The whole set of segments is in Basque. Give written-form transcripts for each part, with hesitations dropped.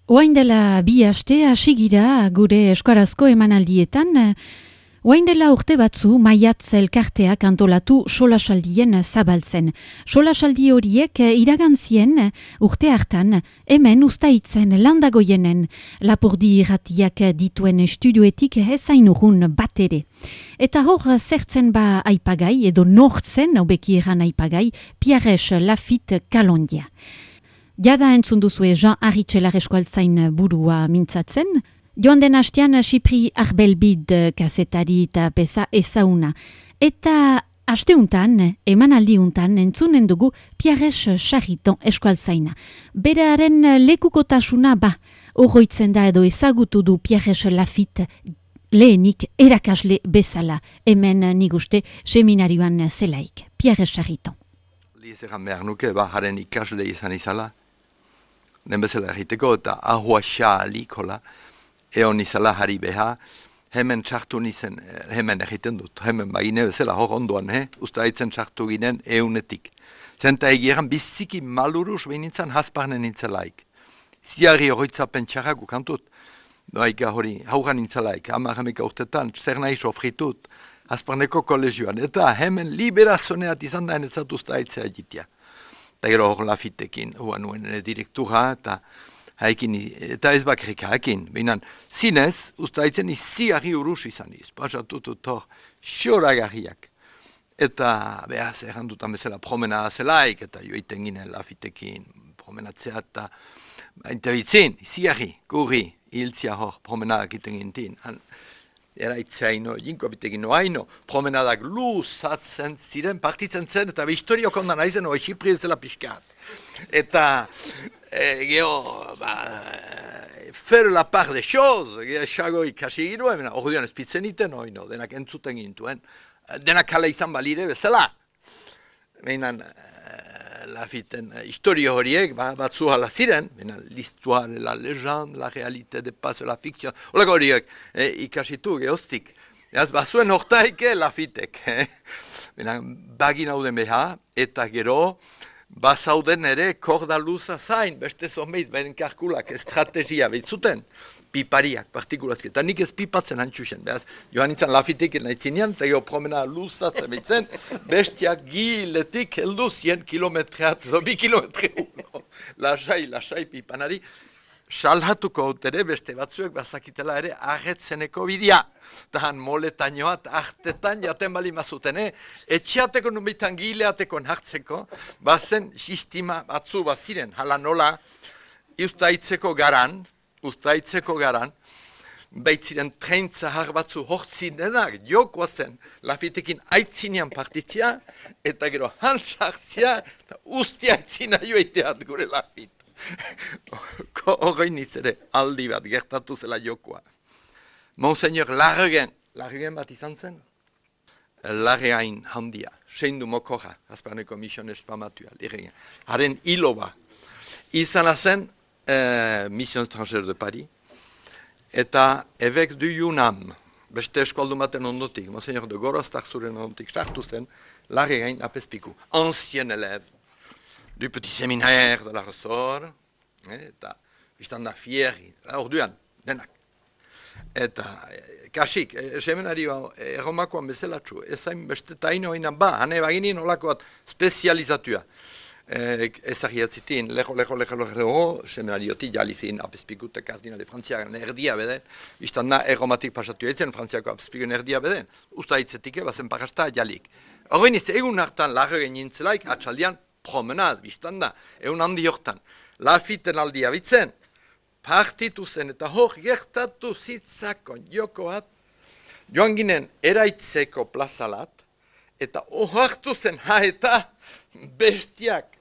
Oain dela bi aste hasi gira gure euskarazko emanaldietan, oain dela urte batzu Maiatz elkarteak antolatu solasaldien zabaltzen. Solasaldi horiek iragantzien urte hartan hemen Uztaitzen Landagoienen Lapurdi irratiak dituen estudioetik ezain urrun bat ere. Eta hor zertzen ba aipagai edo nortzen hobeki eran aipagai Pierres Lafitte Kalondia. Jada entzun duzue Jean Arritxelar eskualtzain burua mintzatzen. Joan den hastean Xipri Arbelbid kazetari eta peza ezauna. Eta hasteuntan, emanaldiuntan entzunen dugu Pierres Charriton eskualtzaina. Berearen lekukotasuna oroitzen da edo ezagutu du Pierres Lafitte lehenik erakasle bezala. Hemen niguste seminarioan zelaik. Pierres Charriton. Lizeran behar nuke, haren ikasle izan izala. Den bezala egiteko eta ahua xaalikola, eon izala harri beha, hemen txartu nizen, hemen egiten dut, hemen bagine bezala hor ondoan, Uztaitzen txartu ginen eunetik. Zenta egieran biziki maluruz behinintzen hasparnen nintzelaik. Ziarri horoitzapen txarragu kantut, doaika hori hauran nintzelaik, amarramika urtetan, zer nahi sofritut, hasparneko kolegioan, eta hemen liberazoneat izan da enetzat Uztaitzea egitea. Eta gero hor Lafittekin, nuen direktura, eta haikin, eta ez bakarrik haikin. Behinan, zinez, Uztaitzen iziarri urus izan iz. Pasatutut hor, xoragarriak. Eta, behaz, errandutan bezala promena zelaik, eta joiten ginen Lafittekin promenatzea, eta interbitzin, iziarri, gurri, hiltzia hor, promenadak iten gintin. Eraitzaino, jinkoabitegin noaino, promenadak luzatzen ziren, partitzen zen, eta historiok ondan aizen, hori Xipri zela pixkat. Eta, geho, faire la part de choses, geho, xago ikasi ginuen, orduan ezpitzen iten, oino, denak entzuten gintuen, denak kala izan balire bezala. Behinan, Lafitten historio horiek, batzu hala ziren, l'histoire, la légende, la réalité de pas, la fiction, holako horiek ikasitu gehoztik. Bazuen hortaike Lafittek. Bagin hauden beha, eta gero, bazauden ere korda luza zain, beste zomeit, beren kalkulak, estrategia behitzuten, pipariak, partikulazki. Eta nik ez pipatzen hantxusen, behaz, joan nintzen Lafittek nahizinean, eta gero promena luzatzen behitzen, bestiak giletik heldu 100 kilometreat, 2 kilometre uno. Lasai pipanari, salhatuko ere beste batzuek bazakitela ere arretzeneko bidea. Tahan moletainoat, artetan jaten bali mazuten, etxeateko numitan gileateko hartzeko, bazen sistema batzu baziren, hala nola, Uztaitzeko garan, baitziren tren zahar batzu hortzinenak, jokoa zen, Lafittekin aitzinean partitzia, eta gero hantzartzia, eta ustia aitzina joiteat gure Lafitte. Horrein ere aldi bat gertatu zela jokoa. Monseigneur Larregen bat izan zen? Larregain handia, seindu mokorra, azparneko misiones famatua, Larregen. Haren hiloba, izan zen, Mission étrangère de Paris, eta évêque du Yunnan, beste eskualdu baten ondotik, Monseigneur de Gorostak zuren ondotik sartu zen, Larregain apezpiku, ancien élève du petit séminaire de la Ressort, eta biztan da fierri, orduan, denak. Eta kasik, seminarioa erromakoan bezelatxu, ezain beste tainoinan hane baginin olakoat spezializatua. Ezagiatzitin, leho, seminarioti jalizin apezpikute kardinale frantziakan erdia beden, biztan da erromatik pasatu etzen frantziako apezpikun erdia beden, Uztaitzetik bazen parasta jalik. Horrein ez egun hartan Larregen nintzelaik, atxaldian promenad, biztan da, egun handi hortan. Lafitten aldia bitzen, partitu zen eta hor gertatu zitzakon jokoat, joan ginen eraitzeko plazalat, eta ohartu zen eta bestiak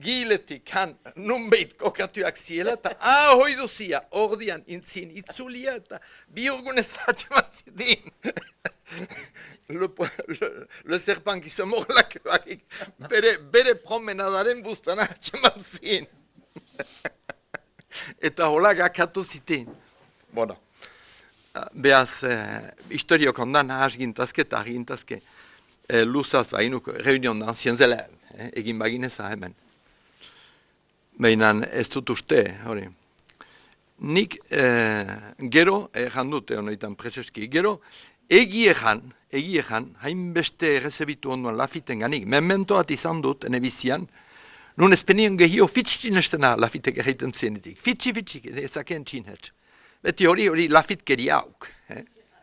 giletik han nunbeit kokatuak ziela, eta ahoi duzia ordian intzin itzulia, eta biurgunez atxeman zitin. Le serpent qui se mord la queue, bere promenadaren buztana atxeman zin. Eta hola gakatu zitin. Bueno, behaz, historiok ondan hasgintazke eta argintazke luzaz bainuko, reunion d'anciens élèves, egin bagineza hemen. Behinan ez dut uste, hori. nik gero, dute honetan preseski, gero, egiejan, hainbeste errezebitu onduan Lafiten ganik, mementoat izan dut, ene bizian, nun ezpenien gehio fitxin estena Lafitek egiten zienetik. Fitxi, ezakeen txinhetz. Beti hori Lafit keria hauk.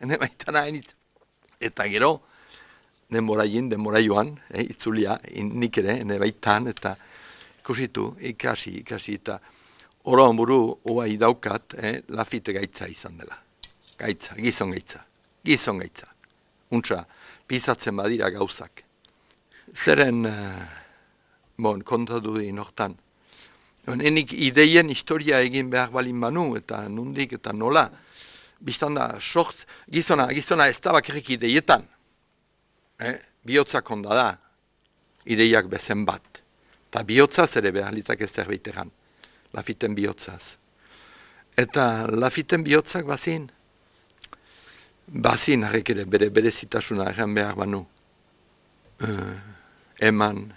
Ene baitan hainitz. Eta gero, denbora joan, itzulia, nik ere, ene baitan, eta ikusitu, ikasi, eta oroan buru oai daukat, Lafite gaitza izan dela. Gaitza, gizon gaitza. Untsa, pisatzen badira gauzak. Zeren, kontatu di nortan. Enik ideien historia egin behar balin manu, eta nundik, eta nola. Bistan da, gizona ez da bakarrik ideietan. Bihotzak onda da, ideiak bezen bat. Eta bihotzaz ere behar litzak ez zerbait egan. Lafiten bihotzaz. Eta Lafiten bihotzak bazin harrek ere bere zitasuna egan behar banu. Eman,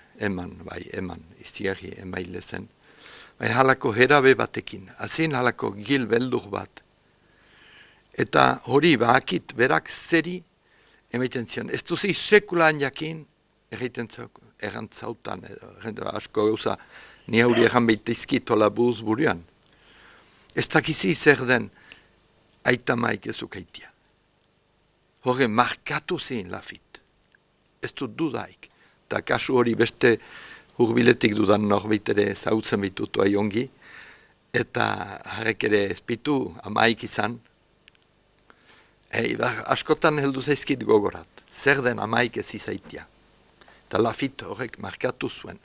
iztiarri emaile zen. Bai halako herabe batekin, azin halako gil beldur bat. Eta hori bakit berak zeri emaiten zion. Ez duzi sekulaan jakin errantzautan, asko gauza, ni hauri erran behitezkitola buruz buruan. Ez dakizi zer den aita maik ezukaitia. Hore markatu zein Lafit. Ez dut dudaik. Eta kasu hori beste hurbiletik dudan norbait ere zautzen bitutu aiongi. Eta harrek ere ezpitu amaik izan. Askotan heldu zaizkit gogorat. Zer den amaik ez izaitia. Eta Lafit horrek markatu zuen.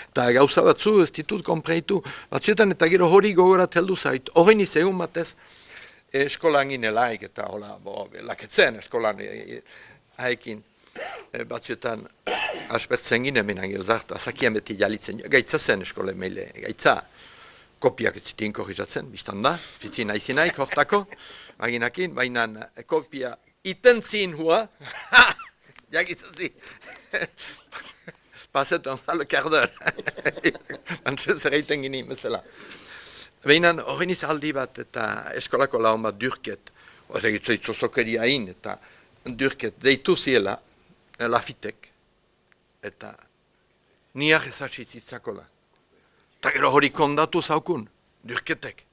Eta gauza batzu ez ditut konpreitu. Batzuetan eta gero hori gogorat heldu zait. Horrein izegun batez eskolan ginelaik eta hola, laketzen eskolan haekin. Batzuetan aspertzen ginen minan geozart, azakien beti jalitzen, gaitza zen eskole meile, gaitza kopiak ez zitin korrizatzen, biztan da, pitzin aizinaik hortako, aginakin, baina kopia iten zin hua, jakitzazi, pasetan zalo kardor, antzez erreiten gini, mesela. Baina horren izaldi bat eta eskolako laun bat Dürket, itzozokeria hain eta Dürket deitu ziela, Lafitek, eta niak ezazitzakola. Eta gero hori kondatu zaukun, Dürketek.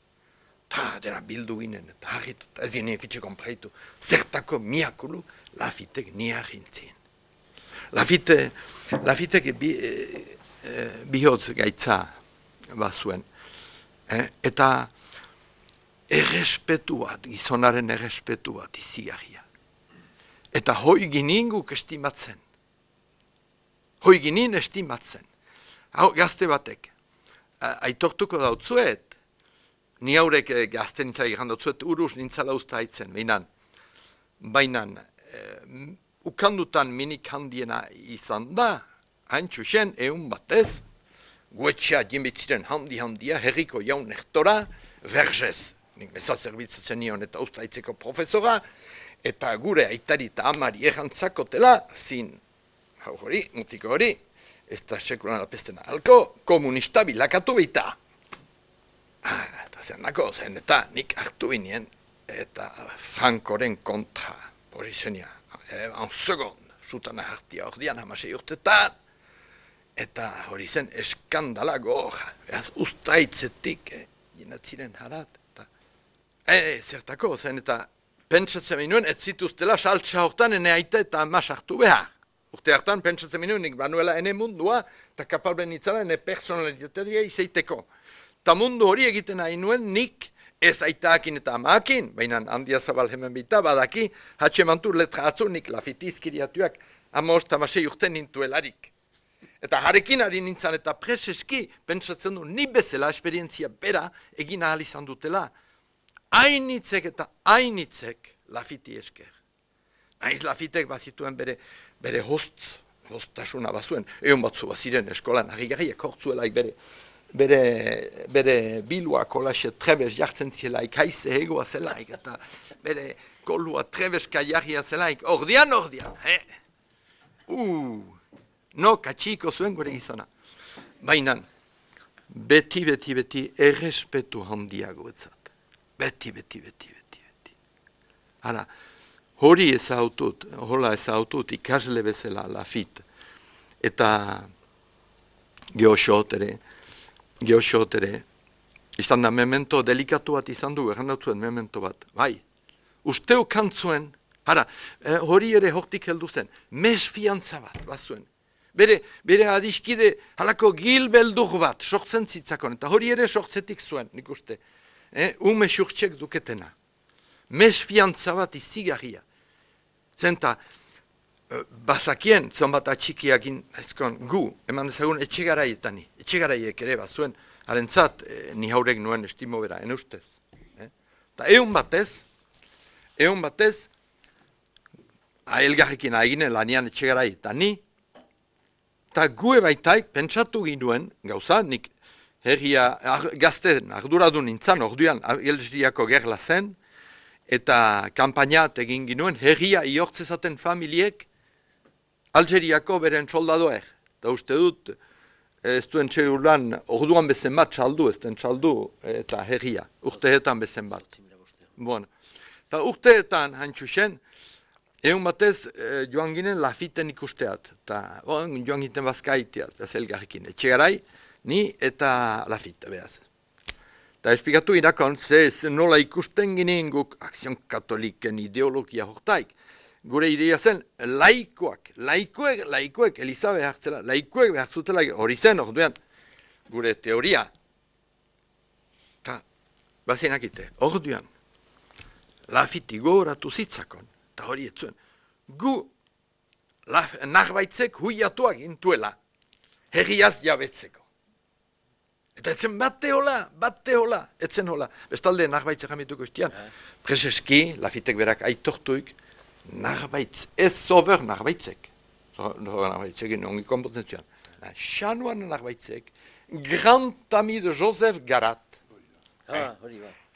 Eta dena bildu ginen, eta harritu, ez ginen fitxe konpreitu. Zertako miakulu, Lafitek niak gintzien. Lafitek bihotz gaitza bazuen. Eta errespetu bat, gizonaren errespetu bat izigarria. Eta hoi ginen guk estimatzen. Hoi ginen estimatzen. Hau gazte batek, aitortuko dautzuet, ni haurek gazte nintzala igandotzuet, uruz nintzala usta haitzen, bainan, ukandutan minik handiena izan da, hain txusen, egun batez, guetxea jimbitziren handia, herriko jaun nektora, Vergez, nik meza zerbitzatzen nion eta usta haitzeko profesora, eta gure aitari eta amari errantzakotela, zin, hori, mutiko hori, ez da sekulan apestena halko, komunista bilakatu baita. Eta zen nako, zen eta nik hartu binien, eta Frankoren kontra posizionia, en segon, zutana hartia ordian, hamasei urtetan, eta hori zen eskandala gorra, behaz ustaitzetik, jinatziren harat, eta zertako, zen eta pentsatzen minuen, ez zituztela saltsa hortan ene aita eta ama sartu behar. Urte hartan pentsatzen minuen, nik banuela ene mundua, eta kapalben itzala ene personalitatea izaiteko. Ta mundu hori egiten nahi nuen, nik ez aitaakin eta amaakin, baina handia zabal hemen bita, badaki, hatxemantur letra atzu, nik lafitizkiriatuak amasei urte nintuelarik. Eta harekin ari nintzen eta preseski, pentsatzen du, ni bezala esperientzia bera egin ahal izan dutela, hainitzek eta hainitzek Lafiti esker. Naiz Lafitek bazituen bere hostasuna bazuen. Egon batzu baziren eskolan, harri-garriak hortzuelaik bere bilua kolaxe trebez jartzen zielaik, haize egoa zelaik, eta bere kolua trebeska jarria zelaik, ordian. No, katxiko zuen gure gizona. Bainan, beti errespetu handiago etzat. Beti. Hala, hori hola ezautut ikasle bezala Lafitte. Eta geoxot ere, izan da memento delikatu bat izan du, errandatzuen memento bat. Bai, usteo kantzuen, hori ere hortik heldu zen, mesfiantza bat zuen. Bere adiskide halako gilbeldur bat, sortzen zitzakon, eta hori ere sortzetik zuen, nik uste. Ume surtxek duketena. Mesfiantza bat izigarria. Zenta, bazakien, zonbat atxikiakin, gu, eman dezagun etxegaraiek ere bat zuen, harentzat, ni haurek nuen estimo bera, ustez. Eta egun batez, elgarrekin agine lanian etxegarai eta ni, eta gu ebaitaik pentsatu ginuen, gauza, nik herria gazten arduradu nintzan, orduan Algeriako gerla zen, eta kampainat egin ginuen, herria iortzezaten familiek Algeriako beren soldadoer. Eta uste dut, ez duen txegulan, orduan bezen bat txaldu, ez den txaldu eta herria, urteetan bezen bat. Bueno. Eta urteetan, haintxusen, egun batez joan ginen Lafitten ikusteat. Eta joan ginen bazkaiteat, ez elgarrekin. Etxegarai, ni eta Lafitte, behaz. Eta esplikatu irakon, nola ikusten ginen guk Akzion Katoliken ideologia hortaik. Gure idea zen, laikoek, Eliza behartzela, laikoek behartzutela hori zen orduan, gure teoria. Eta, bazinakite, orduan, Lafitte gogoratu zitzakon, eta hori etzuen, gu narbaitzek huiatuak intuela, herriaz jabetzeko. Eta etzen bate hola, etzen hola. Bestalde narbaitzek jamituko istian, Prezeski, Lafittek berak aitortuik, narbaitz, ez sober narbaitzek. Narbaitzek, ongi kompetentzioan. Xanuan narbaitzek, grand ami de Joseph Garat.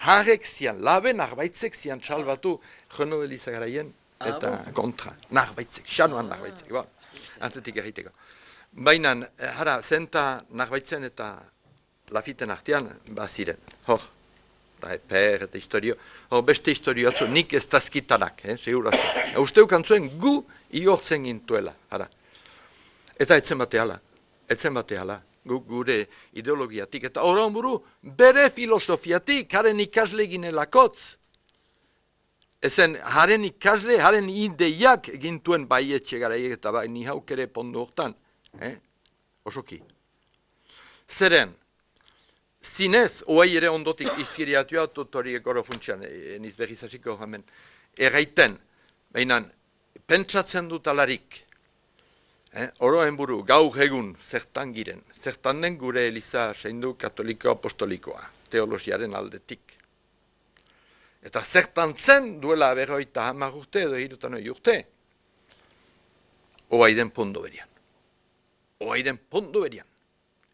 Harek zian, labe narbaitzek zian txalbatu Renaud Eliza garaien eta kontra. Narbaitzek, xanuan narbaitzek. Antetik erriteko. Baina, zenta narbaitzen eta Lafitten artean, ziren. Hor, per eta historio. Hor, beste historio atzu, nik ez tazkitanak, seguraz. Usteu kantzuen gu iortzen gintuela. Eta etzen bate hala. Gure ideologiatik. Eta horan buru, bere filosofiatik, haren ikasle ginelakotz. Ezen, haren ikasle, haren ideiak gintuen bai etxegaraiek eta bai ni hauk ere pondo hortan. Osoki. Zeren, zinez, oai ere ondotik izkiriatua, hori goro funtsian, niz behizasiko hemen, erraiten, behinan, pentsatzen dut alarik, oroen buru, gaur egun, zertan giren, zertan den gure Eliza seindu katoliko apostolikoa, teologiaren aldetik. Eta zertan zen duela 50 urte edo 60 urte, oaiden pondo berian.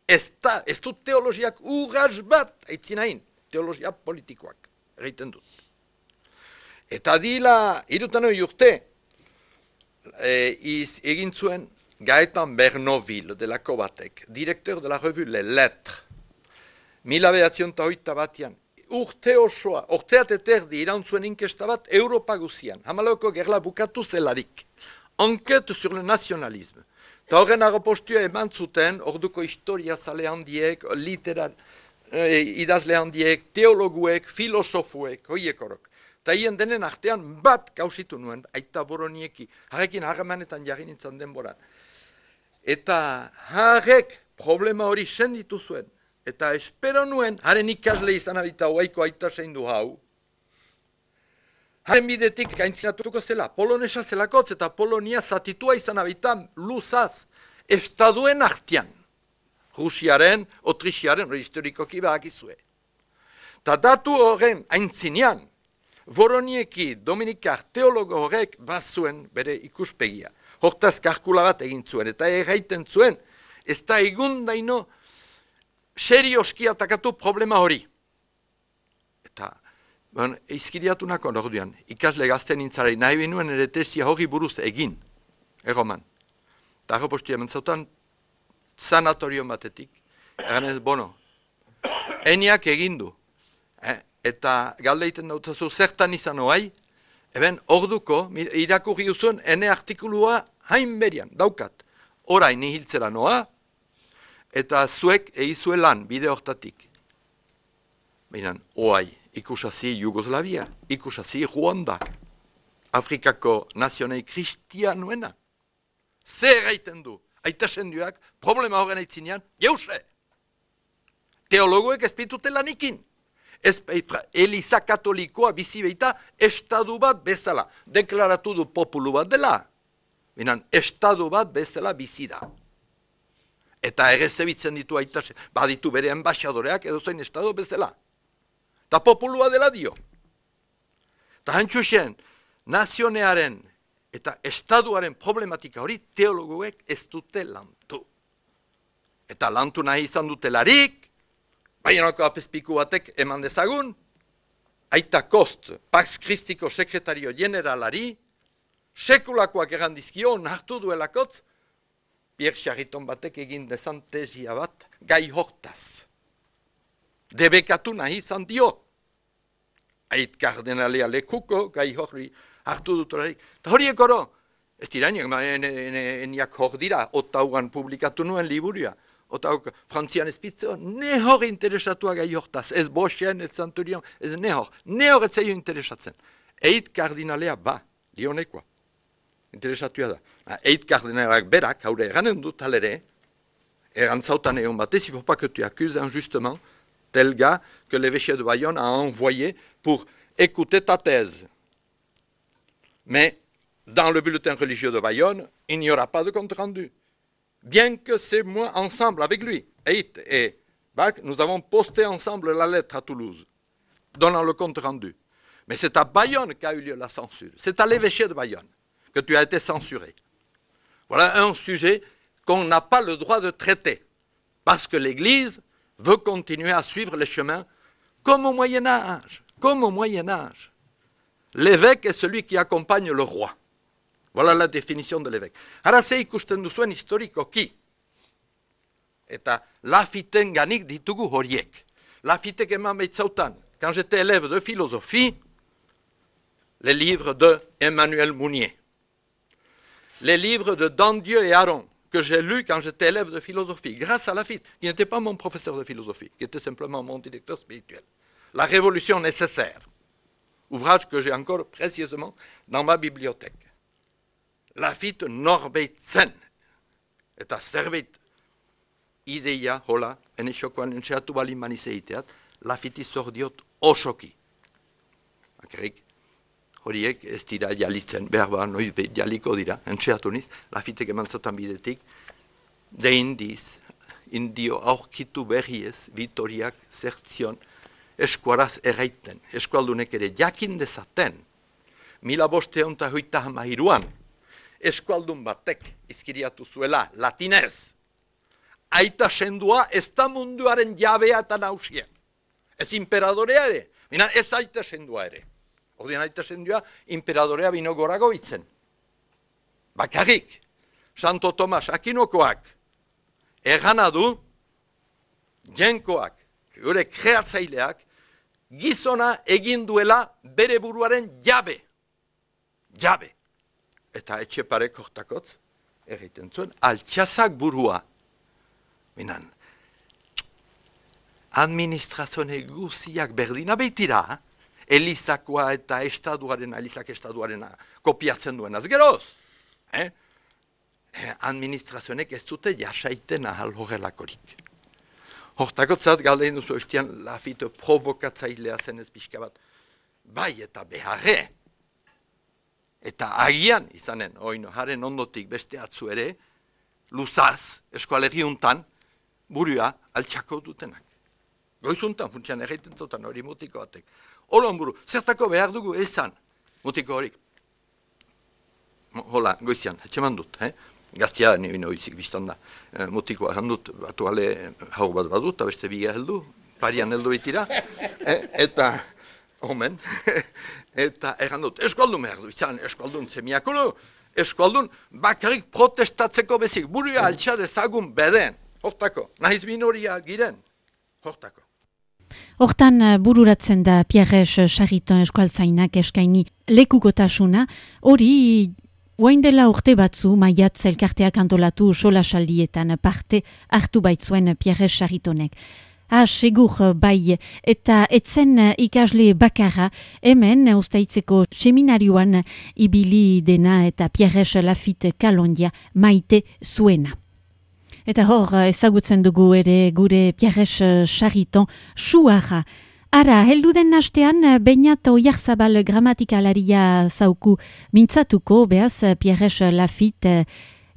Ez dut teologiak urraz bat, aitzinain, teologia politikoak, egiten dut. Eta dila, 60 urte, egin zuen Gaetan Bernoville delako batek, direktor de la revue Les Lettres, 1908 urte osoa, urteat eterdi irantzuen inkesta bat Europa guzian, hamalauko gerla bukatu zelarik, enquête sur le nationalisme. Eta horren agopostua eman zuten, orduko historia zale handiek, idazle handiek, teologuek, filosofuek, hoiek horok. Eta hien denen artean bat kausitu nuen, aita boronieki, harrekin harremanetan jarri nintzen denboran. Eta harrek problema hori senditu zuen, eta espero nuen, haren ikasle izan abita oaiko aita seindu hau, haren bidetik gaintzinatuko zela, polonesa zelakotz eta Polonia zatitua izan abitan luzaz, estaduen artean. Rusiaren, Otrixiaren, hori historikoki bakizue. Ta datu horren aintzinean, Voronieki Dominikar teologo horrek bazuen bere ikuspegia. Hortaz karkula bat egin zuen, eta erraiten zuen, ez da egundaino serioski atakatu problema hori. Eta izkiriatu nakon orduan, ikasle gazten nintzarei nahi binuen ere tesia hori buruz egin, erroman. Eta arropostia mentzautan sanatorio batetik, eganez, eniak egindu. Eta galdeiten dautzazu zertan izan oai, eben orduko, irakurri uzuen, ene artikulua hain berian, daukat. Orain nihiltzera noa, eta zuek eizuelan bide hortatik. Baina, oai, ikusasi Jugoslavia, ikusasi Ruanda, Afrikako nazionei kristianuena. Zer egiten du? Aita senduak, problema horren aitzinean, jause! Teologoek ez pitute lanikin. Eliza katolikoa bizi behita estadu bat bezala. Deklaratu du populu bat dela. Binan, estadu bat bezala bizi da. Eta errezebitzen ditu aita, baditu bere enbaixadoreak edo zoin estadu bezala. Ta populua dela dio. Ta hantxusen, nazionearen eta estaduaren problematika hori teologoek ez dute lantu. Eta lantu nahi izan dutelarik, Baionako apezpiku batek eman dezagun, aita Kost, Pax Christiko sekretario generalari, sekulakoak errandizkio, nartu duelakot, Pierre Charriton batek egin dezan tesia bat, gai hortaz. Debekatu nahi izan dio. Ait kardenalea lekuko, gai horri hartu dutolarik. Ta horiek oro, ez dira, eniak hor dira, otaugan publikatu nuen liburia. Otauk, frantzian ezpitzo, ne hor interesatua gai hortaz, ez Boschen, ez Zanturion, ez ne hor ez zaio interesatzen. Eit kardinalea ba, lionekoa, interesatua da. Eit kardinaleak berak, haure eranen dut alere, erantzautan egon batez, il faut pas que tu accuses injustement tel gars que l'évêché de Bayonne a envoyé pour écouter ta thèse. Mais, dans le bulletin religieux de Bayonne, il n'y aura pas de compte rendu. Bien que c'est moi ensemble avec lui, Eit et Bach, nous avons posté ensemble la lettre à Toulouse, donnant le compte rendu. Mais c'est à Bayonne qu'a eu lieu la censure. C'est à l'évêché de Bayonne que tu as été censuré. Voilà un sujet qu'on n'a pas le droit de traiter, parce que l'Église veut continuer à suivre les chemins comme au Moyen-Âge. Comme au Moyen-Âge. L'évêque est celui qui accompagne le roi. Voilà la définition de l'évêque. Ara ze ikusten duzuen historikoki. Eta Lafitten ganik ditugu horiek. Lafittek eman behitzautan, quand j'étais élève de philosophie, les livres de Emmanuel Mounier, les livres de Dandieu et Aron, que j'ai lus quand j'étais élève de philosophie, grâce à Lafitte, qui n'était pas mon professeur de philosophie, qui était simplement mon directeur spirituel. La révolution nécessaire, ouvrage que j'ai encore précieusement dans ma bibliothèque. Lafitte norbeitzen, eta zerbait ideia, hola, ene xokoan entxeatu balin manizeiteat, Lafitti zordiot osoki. Akarrik, horiek ez dira jalitzen, behar ba, noiz behit jaliko dira, entxeatu niz, Lafittek eman zatan bidetik, de indiz, indio aurkitu berriez, Vitoriak zertzion, eskuaraz erraiten, eskualdunek ere jakin dezaten, 1523an, eskualdun batek izkiriatu zuela latinez. Aita sendua ez da munduaren jabea eta nausia. Ez imperadorea ere, bina ez aita sendua ere. Ordean aita sendua imperadorea bino gorago itzen. Bakarrik, Santo Tomas Akinokoak ergana du, jenkoak, gure kreatzaileak, gizona egin duela bere buruaren jabe. Jabe. Eta etxeparek hortakotz, egiten zuen, altxazak burua. Minan, administrazione guziak berdina behitira, Elizakoa eta estaduarena, Elizak estaduarena kopiatzen duenaz geroz. Administrazionek ez dute jasaiten ahal horrelakorik. Hortakotzat galdein duzu estian Lafitte provokatzailea zen ez pixka bat. Bai eta beharre. Eta agian izanen, oino, haren ondotik beste atzu ere, luzaz, eskualerri untan, burua altxako dutenak. Goizuntan, funtsian erreiten dutan hori mutiko batek. Horon buru, zertako behar dugu ezan, mutiko horik. Hola, goizian, etxeman dut, Gaztia nire oizik biztan da. Mutikoa handut, batu ale hau bat badut, eta beste biga heldu, parian heldu bitira, eta... Omen, eta errandut, eskualdun behar du, izan eskualdun zemiakolo, eskualdun bakarrik protestatzeko bezik, burua altxa dezagun beden, hortako, nahiz minoria giren, hortako. Hortan bururatzen da Pierres Chariton eskualtzainak eskaini lekukotasuna, hori orain dela urte batzu maiatz elkarteak antolatu solasaldietan parte hartu baitzuen Pierres Charitonek. Segur bai, eta etzen ikasle bakarra hemen ustaitzeko seminarioan ibili dena eta Pierres Lafitte Kalondia maite zuena. Eta hor ezagutzen dugu ere gure Pierres Chariton suara. Ara, heldu den astean, Beñat Oiarzabal gramatikalaria zauku mintzatuko, behaz Pierres Lafitte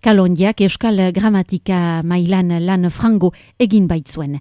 Kalondiak euskal gramatika mailan lan frango egin baitzuen.